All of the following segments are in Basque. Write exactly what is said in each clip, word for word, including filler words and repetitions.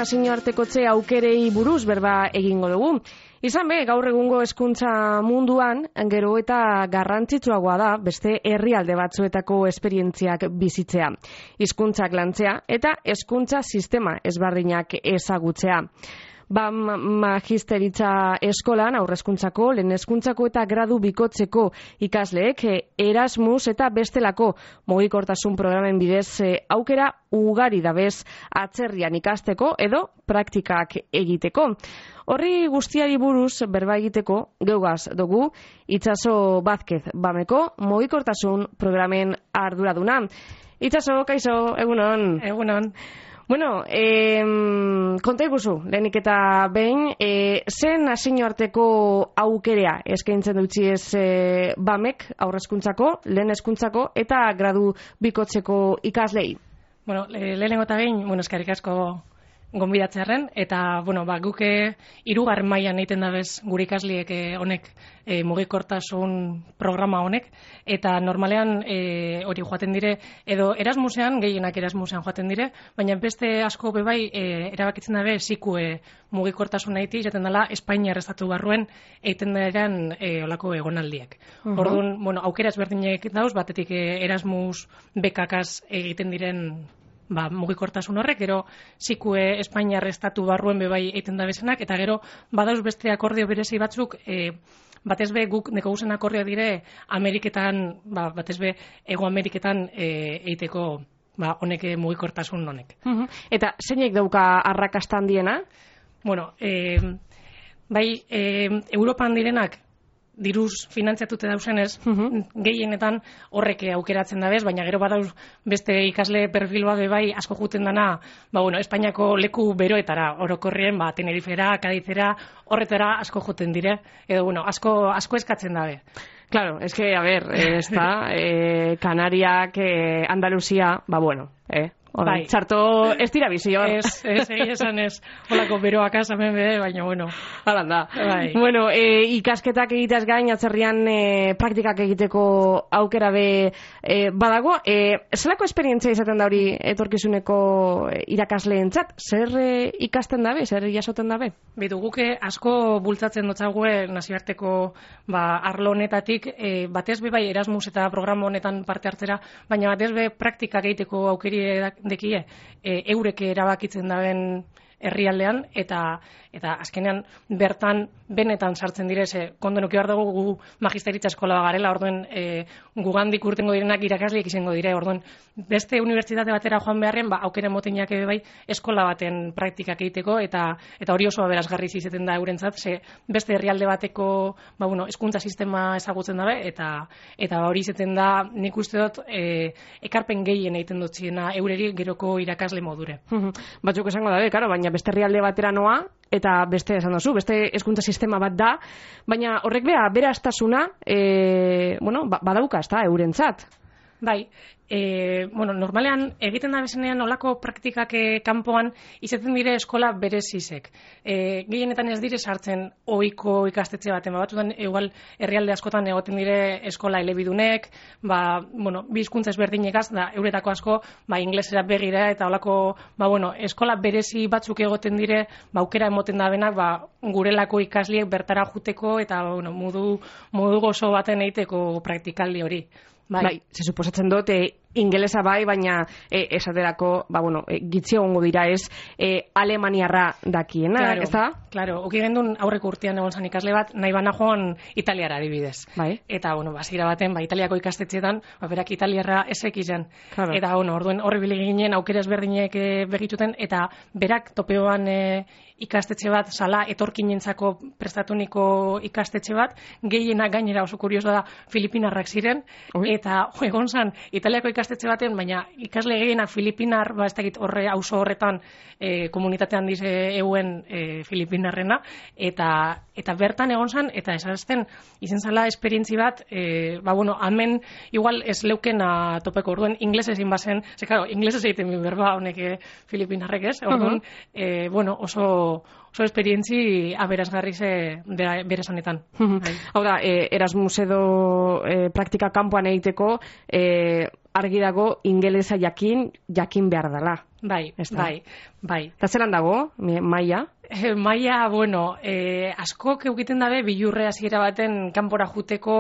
nazioartekotze aukerei buruz berba egingo dugu. Izan be, gaur egungo hezkuntza munduan, gero eta garrantzitsuagoa da beste herrialde batzuetako esperientziak bizitzea, hizkuntzak lantzea eta hezkuntza sistema ezberdinak ezagutzea. Ba, magisteritza eskolan, aurrezkuntzako, lehen hezkuntzako eta gradu bikotzeko ikasleek Erasmus eta bestelako mugikortasun programen bidez aukera ugari dabez atzerrian ikasteko edo praktikak egiteko. Horri guztiari buruz berba egiteko geugaz dugu Itxaso Vázquez Bameko mugikortasun programen arduraduna. Itxaso, kaixo, egunon. Egunon. Bueno, eh, konta iguzu, lehenik eta behin, eh, zen nazioarteko aukerea eskaintzen dutzi ez eh, Bamek aurrezkuntzako, lehen hezkuntzako eta gradu bikotzeko ikaslei? Bueno, lehenengo eta behin, bueno, eskerrik asko gonbidatzearren, eta, bueno, ba, guke hirugarren mailan egiten dabez gure ikasliek eh, honek eh, mugikortasun programa honek, eta normalean eh, hori joaten dire, edo Erasmusean, gehienak Erasmusean joaten dire, baina beste asko bebai eh, erabakitzen dabe zikue mugikortasun egiti, jaten dela Espainiar estatu barruen egiten daren eh, olako egonaldiek. Uh-huh. Orduan, bueno, aukera ezberdinek dauz, batetik eh, Erasmus bekakaz egiten diren ba, mugikortasun horrek, gero zikue Espainiar estatu barruen bebai egiten da bezenak, eta gero badauz beste akordio berezi batzuk, e, batez be guk neko guzen akordio dire Ameriketan, ba, batez be Ego Ameriketan e, egiteko ba, honek mugikortasun honek. Uh-huh. Eta zeinek dauka arrakastan diena? Bueno, e, bai, e, Europan direnak diruz finantziatute dauzenez, uh-huh. gehienetan horrek aukeratzen dabez, baina gero badauz beste ikasle perfilua bebai asko juten dana, ba bueno, Espainiako leku beroetara, orokorrien, ba Tenerifera, Kadizera, horretara asko joten dire, edo bueno, asko asko eskatzen dabe. Claro, es que a ver, eh, está eh, Canariak, eh, Andalusia, ba bueno, eh Bai. Txarto ez dira bizi hor. Ez, ez, esan ez. Holako beroak azamen bede, baina bueno. Halan da. Bai. Bueno, e, ikasketak egiteaz gain, atzerrian e, praktikak egiteko aukera be e, badago. E, zelako esperientzia izaten da hori etorkizuneko irakasleentzat? Zer e, ikasten dabe? Zer jasoten dabe? Bitu, guke asko bultzatzen dotzague nazioarteko ba, arlo honetatik, e, batez be bai Erasmus eta programa honetan parte hartzera, baina batez be praktikak egiteko aukeri dekie, e, eureke erabakitzen daben herrialdean, eta eta azkenean bertan benetan sartzen dire, ze kondoen uki behar dugu gu magisteritza eskola garela, orduen e, gugandik urtengo direnak irakasleek izango dire, orduen beste unibertsitate batera joan beharren, ba, aukera motenak ebe bai eskola baten praktikak egiteko, eta eta hori oso aberasgarri izaten da eurentzat, ze beste herrialde bateko ba, bueno, hezkuntza sistema ezagutzen dabe, eta eta hori izaten da, nik uste dut e, ekarpen gehien egiten dutziena eureri geroko irakasle modure. Batzuk esango dabe, karo, baina beste herrialde batera noa, eta beste esan dozu, beste hezkuntza sistema bat da, baina horrek bea, beraztasuna, e, bueno, badauka, ez da, eurentzat. Bai, e, bueno, normalean egiten da bezenean olako praktikak e, kanpoan izaten dire eskola berezizek. E, gehienetan ez dire sartzen ohiko ikastetxe baten, batzutan igual herrialde askotan egoten dire eskola elebidunek, ba, bueno, bi hizkuntza ezberdinekaz, da euretako asko, ba, inglesera begira eta olako, ba, bueno, eskola berezi batzuk egoten dire, ba, aukera emoten da benak, ba, gurelako ikasliek bertara juteko eta, bueno, modu, modu gozo baten egiteko praktikaldi hori. Bai, bai, se suposatzen dut, e, ingelesa bai, baina e, esaterako, ba, bueno, e, gitzi egongo dira ez, e, alemaniarra dakiena, claro, ez da? Claro, oki gendun aurreko urtean egon zan ikasle bat, nahi bana joan italiara adibidez. Bai. Eta, bueno, basira baten, ba, italiako ikastetxeetan, ba, berak italiarra ezek izan. Claro. Eta, bueno, orduen horri bile ginen aukera ezberdinek e, begituten, eta berak topeoan e, ikastetxe bat, sala etorkinentzako prestatuniko ikastetxe bat, gehienak gainera oso kurioso da Filipinarrak ziren, Oi. Eta jo, egon zan italiako ikastetxe baten, baina ikasle gehienak Filipinar, ba ez dakit horre auzo horretan e, komunitatean dize euen e, Filipinarrena, eta eta bertan egon zan, eta esazten izen zala esperientzi bat, e, ba bueno, hemen igual ez leukena topeko, orduen inglés ezin bazen, ze claro, inglés ez egiten berba honek Filipinarrek ez, orduen, uh-huh. e, bueno, oso oso esperientzi aberasgarri ze beraz honetan. Hau da, e, Erasmus edo e, praktika kanpoan egiteko, e, argi dago ingelesa jakin, jakin behar dela. Bai, bai, bai. Eta zelan dago, maila? E, maila, bueno, e, askok egiten dabe bilurre hasiera baten kanpora juteko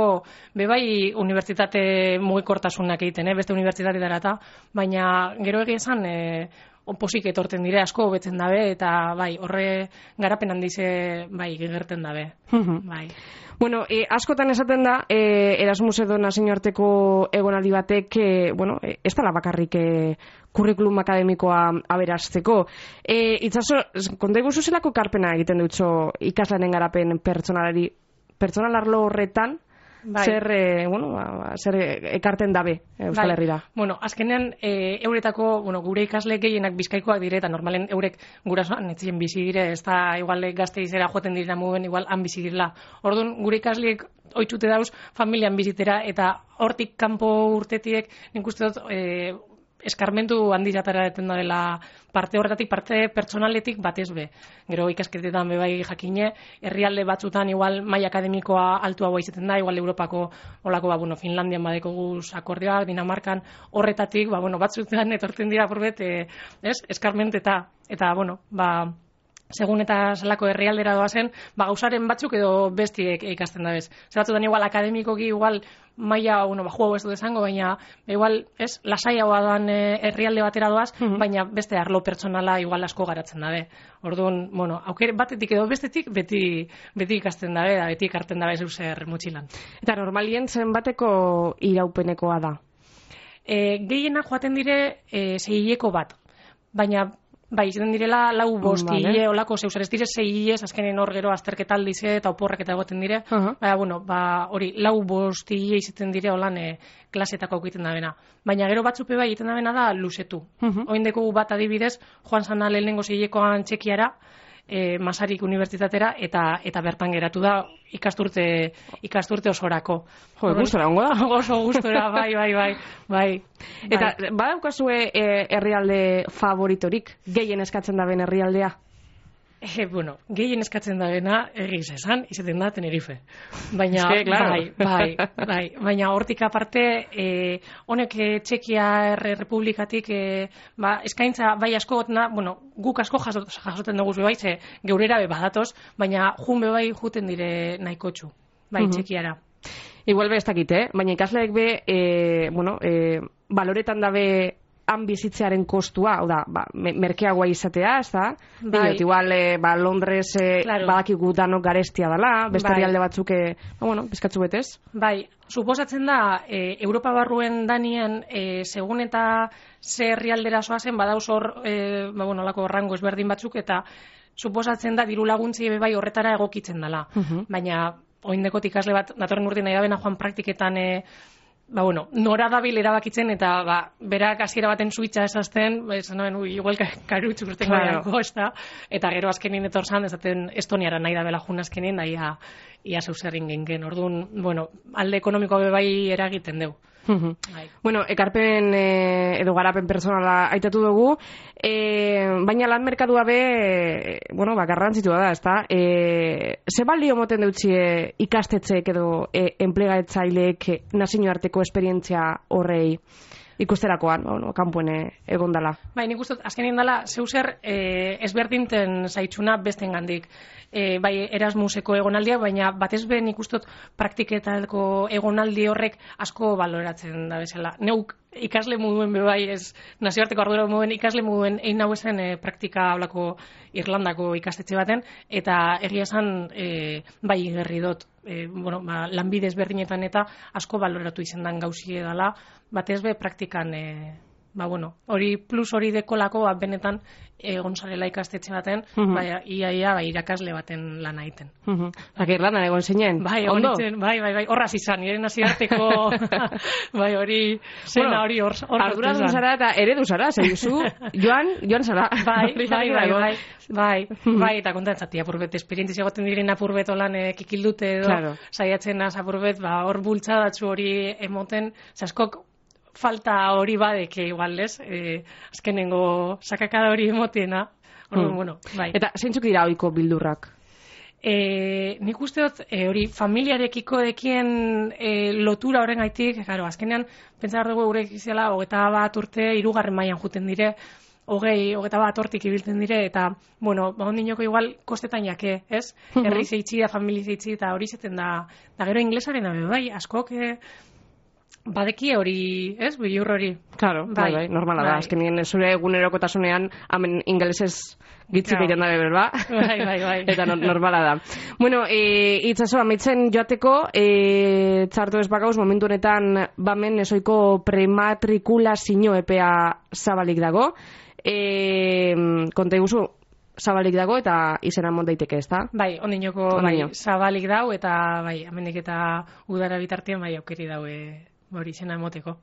bebai unibertsitate mugikortasunak egiten, eh? Beste unibertsitateetara eta, baina gero egia esan e, oposik etorten dire, asko hobetzen dabe, eta bai, horre garapen handize bai, gerten dabe. Bai. Bueno, e, askotan esaten da, e, Erasmus edo nazioarteko egonaldi batek, e, bueno, e, ez dela bakarrik e, kurrikulum akademikoa aberasteko. E, itzaso, konta iguzu zelako karpena egiten dutxo ikaslanen garapen pertsonalari, pertsonalarlo horretan, bai. zer, e, bueno, ba, zer ekarten dabe Euskal bai. Herrira. Bueno, azkenean, e, euretako, bueno, gure ikasle gehienak bizkaikoak dire, eta normalen eurek gurasoan etzien bizi dire, ez da igual gazte izera joaten direna muguen, igual han bizi direla. Orduan, gure ikasleek oitzute dauz familian bizitera, eta hortik kanpo urtetiek, nik uste dut, e, eskarmentu handizatara eten da dela parte horretatik, parte pertsonaletik batez be. Gero ikasketetan bebai jakine, herrialde batzutan igual maila akademikoa altuagoa izaten da, igual Europako olako, ba, bueno, Finlandian badeko guz akordioak, Dinamarkan horretatik, ba, bueno, batzutan etortzen dira purbet, e, ez, eskarment eta, eta, bueno, ba, segun eta zelako herrialdera doazen, ba, gauzaren batzuk edo bestiek ikasten da bez. Zer batzutan igual akademikoki igual maila, bueno, ba, juego ez dut esango, baina igual, ez, lasaiagoa doan e, herrialde batera doaz, mm-hmm. baina beste arlo pertsonala igual asko garatzen dabe. Orduan, bueno, aukere batetik edo bestetik beti, beti ikasten dabe, da beti ikarten dabe zeuzer mutxilan. Eta normalien zenbateko iraupenekoa da? E, gehiena joaten dire e, zeileko bat, baina bai, izaten direla lau bost vale. Hile, olako zeuzer, ez dire zei hilez, azkenen hor gero azterketa aldize eta oporrak eta egoten dire, uh-huh. baina, bueno, ba, hori, lau bost hile izaten dire holan e, klasetako egiten da bena. Baina gero batzupe bai egiten da bena da luzetu. Uh-huh. Oindeko bat adibidez, joan zana lehenengo zeilekoan Txekiara, E, Masarik unibertsitatera eta eta bertan geratu da ikasturte ikasturte osorako. Jo, gustora ongo da. Oso gustora, bai, bai, bai, bai. Eta bai. Badaukazue e, herrialde favoritorik, gehien eskatzen da ben herrialdea? E, bueno, gehien eskatzen da bena, egiz esan, izaten da Tenerife. Baina, que, claro. bai, bai, bai, baina hortik aparte, e, honek e, Txekia Errepublikatik, e, ba, eskaintza bai asko gotena, bueno, guk asko jasoten dugu bai, ze geurera be badatoz, baina jun be bai juten dire nahikotxu, bai, uh-huh. Txekiara. Igual be ez dakit, eh? Baina ikasleek be, e, bueno, e, baloretan dabe han bizitzearen kostua, hau da, ba, merkeagoa izatea, ez da? Bai. Diot, igual, e, ba, Londres e, claro. Badakigu danok garestia dela, beste bai. Herrialde batzuk, e, ba, bueno, bizkatzu betez. Bai, suposatzen da, e, Europa barruen danien, e, segun eta ze herrialdera soazen, badauz hor, e, ba, bueno, lako rango ezberdin batzuk, eta suposatzen da, diru laguntzi bai horretara egokitzen dela. Uh-huh. Baina, oindekot ikasle bat, datorren urte nahi da bena joan praktiketan, e, ba, bueno, nora dabil erabakitzen eta ba, berak hasiera baten suitza esazten, esan noen, ui, igual karutxu urten claro. Gaiako, ez da? Eta gero azkenin etorzan, ezaten Estoniara nahi da bela jun azkenin, da ia, ia zeuzerrin gengen. Orduan, bueno, alde ekonomikoa bai eragiten deu. Uh-huh. Bueno, ekarpen e, edo garapen personala aitatu dugu, e, baina lan merkadua be, e, bueno, ba, garrantzitua da, ezta? E, ze balio moten deutzie ikastetxeek edo e, enplegatzaileek nazioarteko esperientzia horrei ikusterakoan, bueno, kanpoen egon dala. Bai, nik uste, azkenien dala, zeuzer e, ezberdinten zaitxuna besten gandik. E, bai, Erasmuseko egonaldia, baina batez be nik uste praktiketako egonaldi horrek asko baloratzen da bezala. Neuk ikasle moduen bebai, ez nazioarteko ardura moduen ikasle moduen egin hau ezen e, praktika hablako Irlandako ikastetxe baten, eta egia esan e, bai gerri dut. E, bueno, ba, lanbide ezberdinetan eta asko baloratu izendan gauzie dela, batez be praktikan, e, ba, bueno, hori plus hori dekolako, ba, benetan egon zarela ikastetxe baten, uh-huh. bai, ia, ia, bai, irakasle baten lan egiten. Uh-huh. Zaka Irlandan egon zinen? Bai, ondo? Bai, bai, bai, horraz izan, nire nazioarteko, bai, hori, zena hori hor. Ardura du zara eta eredu zara, zeizu, joan, joan zara. Bai, bai, bai, bai, bai, bai, eta kontatzati, apurbet, esperientziz egoten diren apurbet olan e, kikildute edo, claro. Saiatzen az apurbet, ba, hor bultzadatzu hori emoten, zaskok, falta hori badeke igual, ez? Eh, azkenengo sakakada hori emotiena. Orduan, mm. bueno, bai. Eta zeintzuk dira ohiko bildurrak? Eh, nik uste dut, eh, hori familiarekiko dekien eh, lotura horren gaitik, claro, azkenean, pentsa dugu gure izela, hogeta bat urte, hirugarren mailan juten dire, hogei, hogeta bat hortik ibiltzen dire, eta, bueno, ba, ondinoko igual kostetan jake, ez? Herri zeitzi da, famili zeitzi, eta hori zeten da, da gero inglesaren abe, bai, askok, eh, badeki hori, ez, bilur hori. Claro, bai, bai, normala bai. Da, azkenien zure egunerokotasunean, hemen ingelesez gitzik egiten dabe, berba? Bai, bai, bai. Eta no, normala da. Bueno, e, itzaso, amaitzen joateko, e, txartu ez bakauz, momentu honetan, bamen esoiko prematrikulazio epea zabalik dago. E, konta iguzu, zabalik dago eta izena mont daiteke, ez da? Bai, ondinoko bai, zabalik dau eta bai, amendik eta udara bitartean bai aukeri daue hori izena emoteko.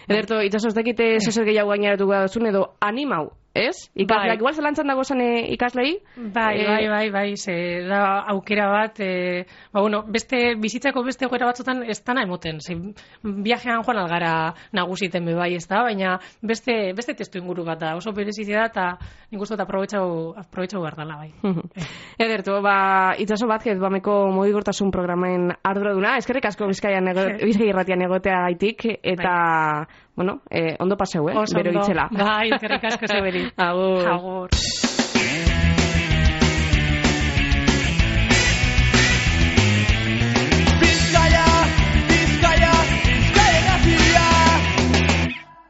Ederto, itzaso ez dakite zozer gehiago gainaratuko duzun edo animau, ez? Ikasleak, bai. Igual zelantzan dago zen ikaslei? Bai, bai, bai, bai, ze da aukera bat, e, ba, bueno, beste, bizitzako beste aukera batzutan ez dana emoten, ze viajean joan algara nagusiten be bai, ez da, baina beste, beste testu inguru bat da, oso berezizia da, eta nik uste dut aprobetxau, aprobetxau behar dela, bai. Ederto, ba, itzaso bat, bameko mugigortasun programen arduraduna, eskerrik asko Bizkaian Bizkai irratian egotea gaitik, eta, bai. Bueno, eh, ondo paseu, eh? Oso bero ondo. Itzela. Bai, eskerrik asko zeberi. Agur. Agur.